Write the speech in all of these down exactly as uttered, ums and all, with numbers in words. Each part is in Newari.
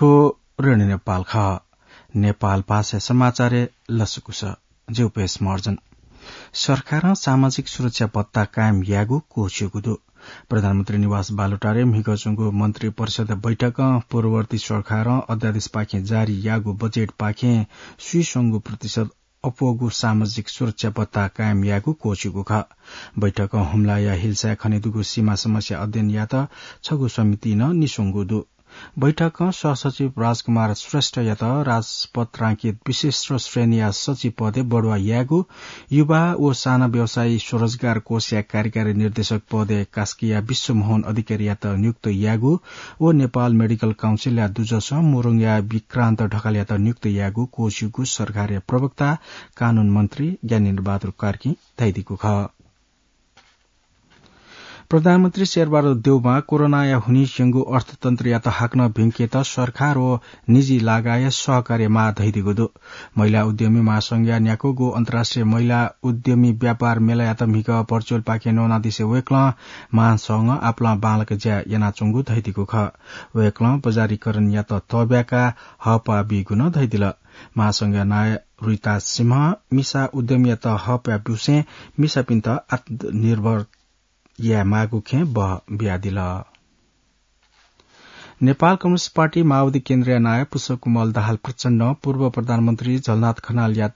थ्व रेडियो नेपाल खः। नेपाल भाषा समाचारय् लसकुस। ज्यू पेश मर्जन। सरकारं सामाजिक सुरक्षा भत्ता कायम यायेगु क्वःछिउगु दु। प्रधानमन्त्री निवास बालुटारे म्हिगः च्वंगु मन्त्री परिषद बैठकं पूर्ववर्ती सरकारं अध्यादेशपाखें जारी याःगु बजेटपाखें स्वीसंगु प्रतिशत अप्वःगु सामाजिक सुरक्षा भत्ता कायम यायेगु क्वःछिउगु खः। बैठकं हुम्लाया हिल्साय् खनेदुगु सीमा समस्या अध्ययन यायेत छगू समिति नं निस्वंगु दु। बैठकं सहसचिव राजकुमार श्रेष्ठयात राजपत्रांकित विशिष्ट श्रेणीया सचिव पदय् बढुवा यायेगु, युवा व साना व्यवसायी स्वरोजगार कोषया कार्यकारी निर्देशक पदय् कास्कीया विश्वमोहन अधिकारीयात नियुक्त यायेगु व नेपाल मेडिकल काउन्सिलया दुजसं मुरुङया विक्रान्त ढकालयात नियुक्त यायेगु क्वःछिउगु सरकारया प्रवक्ता कानून मन्त्री ज्ञानेन्द्र बहादुर कार्कीं धयादीगु खः। प्रधानमन्त्री शेरबहादुर देउवां कोरोनाया हुनिं स्यंगु अर्थतन्त्रयात हाकनं भिंकेत सरकार व निजी लगायत सहकार्य माः धयादीगु दु। महिला उद्यमी महासंघया न्याक्वःगु अन्तर्राष्ट्रिय महिला उद्यमी व्यापार मेलायात म्हिगः भर्चुअलपाखें न्वनादिसे वय्कलं महासंघं आपालं बांलाक ज्या यानाच्वंगु धयादीगु खः। वय्कलं बजारीकरणयात तःब्याकाः हःपाः बीगु नं धयादिल। महासंघया नायः रुइता सिंहं मिसा उद्यमीयात हःपाः ब्यूसें मिसापिन्त आत्मनिर्भर यायेमाःगु खँय् बः बियादिल। नेपाल कम्युनिस्ट पार्टी माओवादी केन्द्रया नायः पुष्पकमल दाहाल प्रचण्डं पूर्व प्रधानमन्त्री झलनाथ खनालया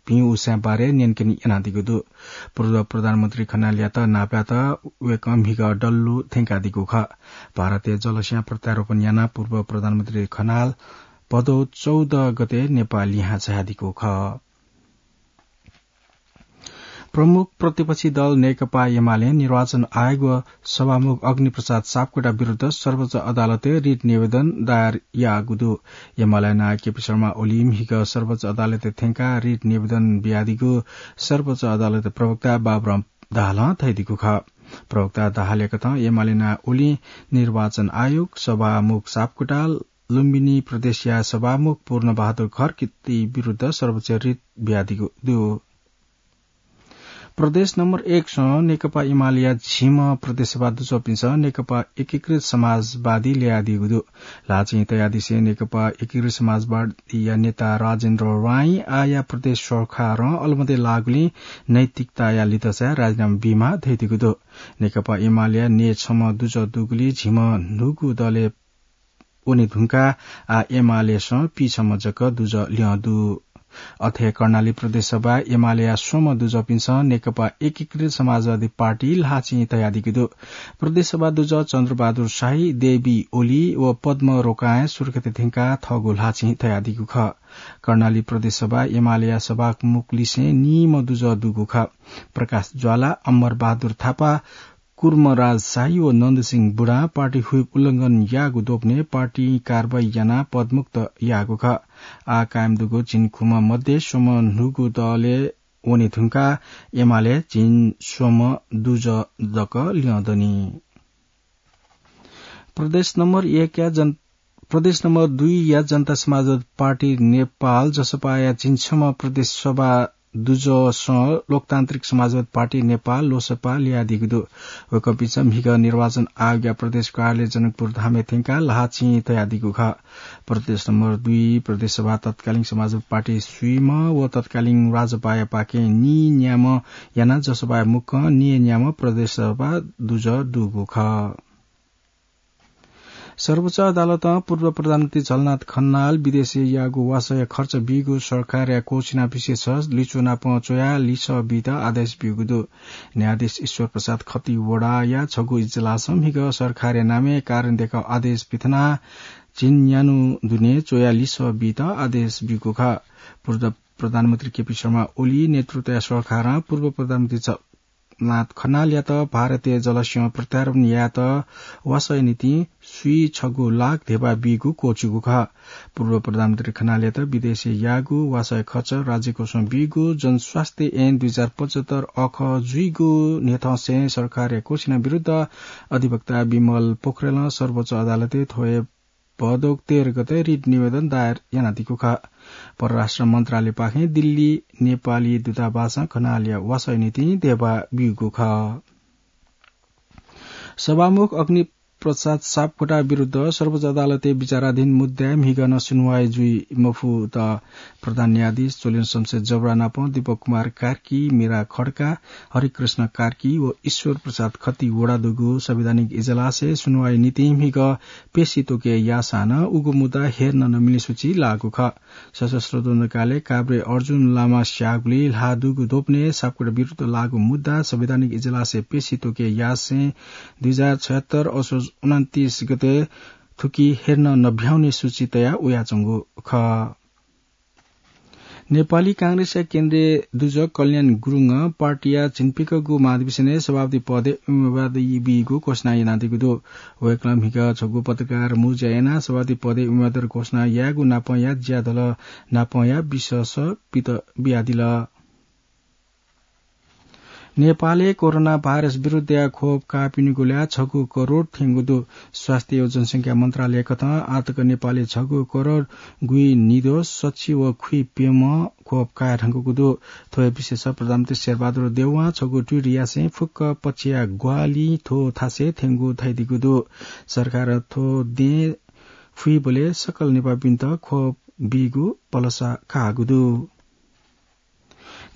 भिं उसाँय् बारे न्यंकने यानादीगु दु। पूर्व प्रधानमन्त्री खनालयात नापलायेत वय्कलं म्हिगः डल्लु थ्यंकादीगु खः। भारतय् जलस्यां प्रत्यारोपण यानाः पूर्व प्रधानमन्त्री खनाल भदौ चौध गते नेपाः लिहां झायादीगु खः। प्रमुख प्रतिपक्षी दल नेकपा एमालें निर्वाचन आयोग व सभामुख अग्निप्रसाद सापकोटा विरुद्ध सर्वोच्च अदालतय् रिट निवेदन दायर याःगु दु। एमाले नायः केपी शर्मा ओलीं म्हिगः सर्वोच्च अदालतय् थ्यंकाः रिट निवेदन बियादीगु सर्वोच्च अदालतया प्रवक्ता बाबुराम दाहालं धयादीगु खः। प्रवक्ता दाहाल यकथं एमाले नायः ओलीं निर्वाचन आयोग, सभामुख सापकोटा, लुम्बिनी प्रदेशया सभामुख पूर्णबहादुर खड्गीति विरुद्ध सर्वोच्चय् रिट बियादीगु दु। प्रदेश नम्बर एक सं नेकपा एमालेया झिम्ह प्रदेश सभा दुजःपिन्सं नेकपा एकीकृत समाजवादी ल्यायादीगु दु। ल्हाःचिं तयादिसें नेकपा एकीकृत समाजवादीया नेता राजेन्द्र राईं आःया प्रदेश सरकारं अलमति लाःगुलिं नैतिकताया लिधचाय् राजीनामा बीमाः धयादीगु दु। नेकपा एमालेया न्यय् छम्ह दुजः दुगुलिं झिम्ह न्हूगु दलय् वने धुंकाः आः एमालेसं पीछम्ह जक दुजः ल्यं दु। अथे कर्णाली प्रदेश सभाय् एमालेया स्वम्ह दुजःपिन्सं नेकपा एकीकृत समाजवादी पार्टी ल्हाःचिं तयादीगु दु। प्रदेश सभा दुजः चन्द्रबहादुर शाही, देवी ओली व पद्म रोकांय् सुर्खेत थ्यंकाः थःगु ल्हाःचिं तयादीगु खः। कर्णाली प्रदेश सभाय् एमालेया सभामुख लिसें नीम्ह दुजः दुगु खः। प्रकाश ज्वाला, अमर बहादुर थापा, कुर्मराज शाही व नन्दसिंह बुढां पार्टी व्हिप उल्लंघन याःगु द्वपनय् पार्टीं कारवाही यानाः पदमुक्त याःगु खः। आः कायम दुगु झिंखुम्ह मध्ये स्वम्ह न्हूगु दलय् वने धुंकाः एमाले झिंस्वम्ह दुजः जक ल्यं दनि। प्रदेश नम्बर एकया जन-, प्रदेश नम्बर दुईया जनता समाजवादी पार्टी नेपाल, जसपाया झिंछम्ह प्रदेश सभा दुजःसं लोकतान्त्रिक समाजवादी पार्टी नेपाल, लोसपा, ल्यायादीगु दु। वय्कःपिन्सं म्हिगः निर्वाचन आयोगया प्रदेश कार्यालय जनकपुर धामय् थ्यंकाः ल्हाःचिं तयादीगु खः। प्रदेश नम्बर दुई प्रदेश सभा तत्कालीन समाजवादी पार्टी स्वीम्ह व तत्कालीन राजपायापाखें नीन्याम्ह यानाः जसपाया मुक्कं नीन्याम्ह प्रदेश सभा दुजः दुगु खः। सर्वोच्च अदालतं पूर्व प्रधानमन्त्री झलनाथ खनाल विदेशय् याःगु वासःया खर्च बीगु सरकारया क्वःछिना विशेष लिच्वः नाप च्वयाः लिसः बीत आदेश ब्यूगु दु। न्यायाधीश ईश्वर प्रसाद खतिवडाया छगू इजलासं म्हिगः सरकारया नामय् कारण देखाउ आदेश पिथनाः झिंन्यान्हु दुने च्वयाः लिसः बीत आदेश ब्यूगु खः। पूर्व प्रधानमन्त्री केपी शर्मा ओली नेतृत्वया सरकारं पूर्व प्रधानमन्त्री झ-, नाथ खनालयात भारतीय जलस्यं प्रत्यारोपण यायेत वासःया निंतिं स्वीछगू लाख धेबा बीगु क्वःछिउगु खः। पूर्व प्रधानमन्त्री खनालयात विदेशय् याःगु वासःया खर्च राज्यकोषं बीगु जनस्वास्थ्य ऐन दुई हजार पचहत्तर अखः जुइगु न्ह्यथंसें सरकारया क्वःछिना विरुद्ध अधिवक्ता विमल पोखरेलं सर्वोच्च अदालतय् थ्व हे भदौ तेह्र गते रिट निवेदन दायर यानादीगु खः। परराष्ट्र मन्त्रालयपाखें दिल्ली नेपाली दूतावासं खनालया वासःया निंतिं धेबा ब्यूगु खः। सभामुख अग्नि प्रसाद सापकोटा विरुद्ध सर्वोच्च अदालतय् विचाराधीन मुद्दाय् म्हिगः नं सुनुवाइ जुइ मफुत। प्रधान न्यायाधीश चोलेन्द्र शमशेर जबरा नाप दीपक कुमार कार्की, मीरा खड्का, हरिकृष्ण कार्की व ईश्वर प्रसाद खत्ती वडा दुगु संवैधानिक इजलासय् सुनुवाइ निंतिं म्हिगः पेशी त्वके याःसां नं उगु मुद्दा हेर्न नमिले सूची लाःगु खः। सशस्त्र द्वन्द्वकालय् काभ्रे अर्जुन लामा स्याःगुलिइ ल्हाः दुगु द्वपनय् सापकोटा विरुद्ध लाःगु मुद्दा संवैधानिक इजलासय् पेशी त्वके यासें दुई हजार छयत्तर असोज उनन्तीस गते थुकी हेर्न नभ्याउने सूची तया वयाच्वंगु खः। नेपाली कांग्रेसया केन्द्रीय दुजः कल्याण गुरुङं पार्टीया झिंप्यकःगु महाधिवेशनय् सभापति पदय् उम्मेदवारी बीगु घोषणा यानादीगु दु। वय्कलं म्हिगः छगू पत्रकार मुँज्या यानाः सभापति पदय् उम्मेदवारी घोषणा यायेगु नापंया ज्याझ्वः नापंया विश्वास पित बियादिल। नेपालय् कोरोना भाइरस विरुद्धया खोप काःपिनिगु ल्याः छगू करोड थ्यंगु दु। स्वास्थ्य व जनसंख्या मन्त्रालय कथं आःतक नेपालय् छगू करोड गुइनिद्वः सच्छि व खुइप्यम्ह खोप काये धुंकूगु दु। थ्व हे विषयय् प्रधानमन्त्री शेरबहादुर देउवां छगू ट्वीट यासें फुक्क पक्षया ग्वाहालिं थ्व थासय् थ्यंगु धयादीगु दु। सरकारं थ्व दँय् फुइबलय् सकल नेपाःपिन्त खोप बीगु भलसा काःगु दु।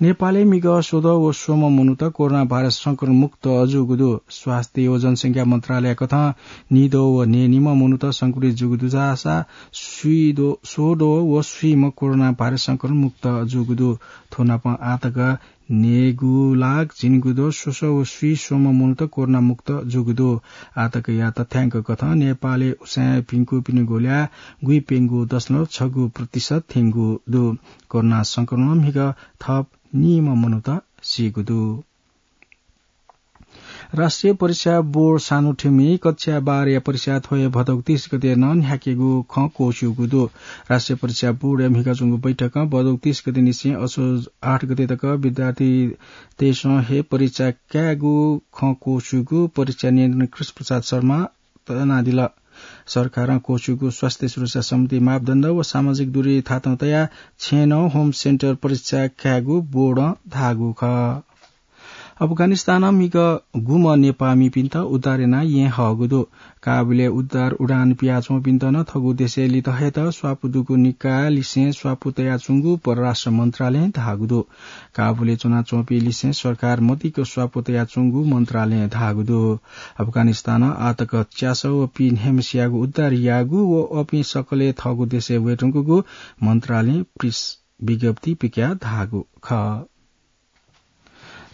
नेपालय् म्हिगः स्वद्वः व स्वम्ह मनूत कोरोना भाइरस संक्रमण मुक्त जूगु दु। स्वास्थ्य व जनसंख्या मन्त्रालय कथं नीद्वः व न्हय्निम्ह मनूत संक्रमित जूगु दुसा स्वीद्वः, स्वद्वः व स्वीम्ह कोरोना भाइरस संक्रमण मुक्त जूगु दु। थ्व नाप आःतक न्हय्गू लाख झिंगुद्वः स्वसः व स्वीस्वम्ह मनूत कोरोना मुक्त जूगु दु। आःतकया तथ्यांक कथं नेपालय् उसाँय् भिंकूपिनिगु ल्याः गुइप्यंगू दशमलव छगू प्रतिशत थ्यंगु दु। कोरोना संक्रमणं म्हिगः थप नीम्ह मनूत सीगु दु। राष्ट्रिय परीक्षा बोर्ड सानोठ्याम्हं कक्षा बाह्रया परीक्षा थ्व हे भदौ तीस गते नं न्ह्याकेगु खँ क्वस्यूगु दु। राष्ट्रिय परीक्षा बोर्डया म्हिगः च्वंगु बैठकं भदौ तीस गते निसें असोज आठ गते तक विद्यार्थीतय्सं हे परीक्षा कायेगु खँ क्वस्यूगु परीक्षा नियन्त्रक कृष्ण प्रसाद शर्मां तनादिल। सरकारं क्वस्यूगु स्वास्थ्य सुरक्षा सम्बन्धी मापदण्ड व सामाजिक दूरी थातं तयाः छेँनं होम सेन्टर परीक्षा कायेगु बोर्डं धाःगु खः। अफगानिस्तानं म्हिगः गुम्ह नेपाःमिपिन्त उद्धार यानाः येँ हःगु दु। काबुलय् उद्धार उडान पियाच्वंपिन्त नं थःगु देशय् लित हयेत स्वापू दुगु निकायलिसें स्वापू तयाच्वंगु परराष्ट्र मन्त्रालयं धाःगु दु। काबुलय् च्वनाच्वंपिं लिसें सरकार मदिक्क स्वापू तयाच्वंगु मन्त्रालयं धाःगु दु। अफगानिस्तानं आःतक च्यासः व पीन्हय्म्हसियागु उद्धार याःगु व अपिं सकलें थःगु देशय् वयेधुंकूगु मन्त्रालयं प्रेस विज्ञप्ति पिकयाः धाःगु खः।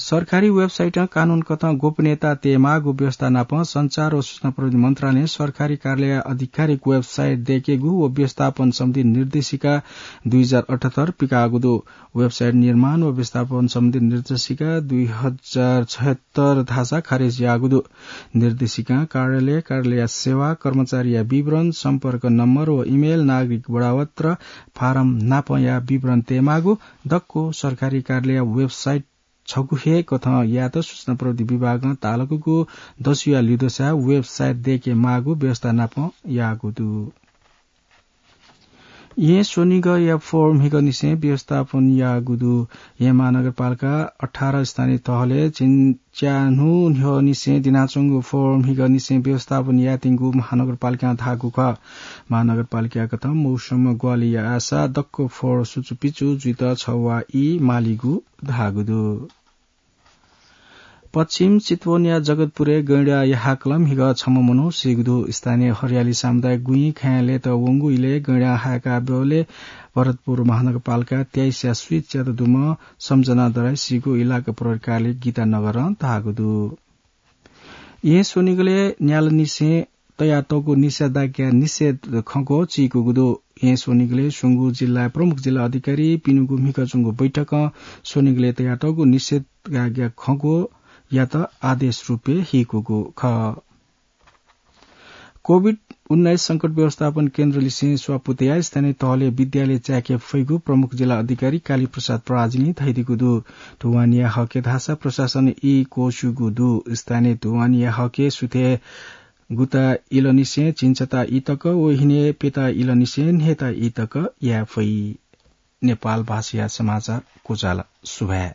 सरकारी वेबसाइटं कानून कथं गोपनीयता तयेमाःगु व्यवस्था नाप सञ्चार व सूचना प्रविधि मन्त्रालयं सरकारी कार्यालयया आधिकारिक वेबसाइट दयेकेगु व व्यवस्थापन सम्बन्धी निर्देशिका दुई हजार अठहत्तर पिकाःगु दु। वेबसाइट निर्माण व व्यवस्थापन सम्बन्धी निर्देशिका दुई हजार छयत्तर धाःसा खारेज याःगु दु। निर्देशिकां कार्यालय, कार्यालयया सेवा, कर्मचारीया विवरण, सम्पर्क नम्बर व इमेल, नागरिक बढापत्र, फारम नापंया विवरण तयेमाःगु दक्व सरकारी कार्यालयया वेबसाइट छगू हे कथं यायेत सूचना प्रविधि विभागं तालुकागु दसुया लिधंसाय् वेबसाइट दयेकेमाःगु व्यवस्था नाप याःगु दु। येँ स्वनिगःया फोहोर म्हिगःनिसें व्यवस्थापन याःगु दु। येँ महानगरपालिका अठार स्थानीय तहलय् झिंच्यान्हु न्ह्यःनिसें दिनाच्वंगु फोहोर म्हिगःनिसें व्यवस्थापन यायेत्यंगु महानगरपालिकां धाःगु खः। महानगरपालिकाकथं मौसम ग्वाहालि याःसा दक्व फोहोर सुचुपिचु जुइत छवाः ई मालीगु धाःगु दु। पश्चिम चितवनया जगतपुरय् गैंडाया हाकलं म्हिगः छम्ह मनू सीगु दु। स्थानीय हरियाली सामुदायिक गुँइ खँय् लय्त वंगु इलय् गैंडां हाय्काबलय् भरतपुर महानगरपालिका तेइसया स्वीच्यात दुम्ह सम्झना दराइ सीगु इलाका प्रहरी कार्यालय गीतानगरं धाःगु दु। येँ स्वनिगलय् न्यालानिसें तयातःगु निषेधाज्ञा निषेध खँग्वः चीकूगु दु। येँ स्वनिगलय् स्वंगू जिल्लाया प्रमुख जिल्ला अधिकारी पिनिगु म्हिगः च्वंगु बैठकं स्वनिगलय् तयातःगु निषेधाज्ञा खँग्वःयात आदेश रूपय् हीकूगु खः। कोभिड उन्नाइस संकट व्यवस्थापन केन्द्रलिसें स्वापू तयाः स्थानीय तहलय् विद्यालय चाय्के फइगु प्रमुख जिल्ला अधिकारी कालीप्रसाद पराजुलीं धयादीगु दु। धुवानीया हके धाःसा प्रशासनं ई क्वस्यूगु दु। स्थानीय धुवानीया हके सुथय् गुता इलंनिसें झिंछता ई तक व हिनय् प्यता इलंनिसें न्हय्ता ई तक याये फइ। नेपाल भाषाया समाचार क्वचाल। सुभाय्।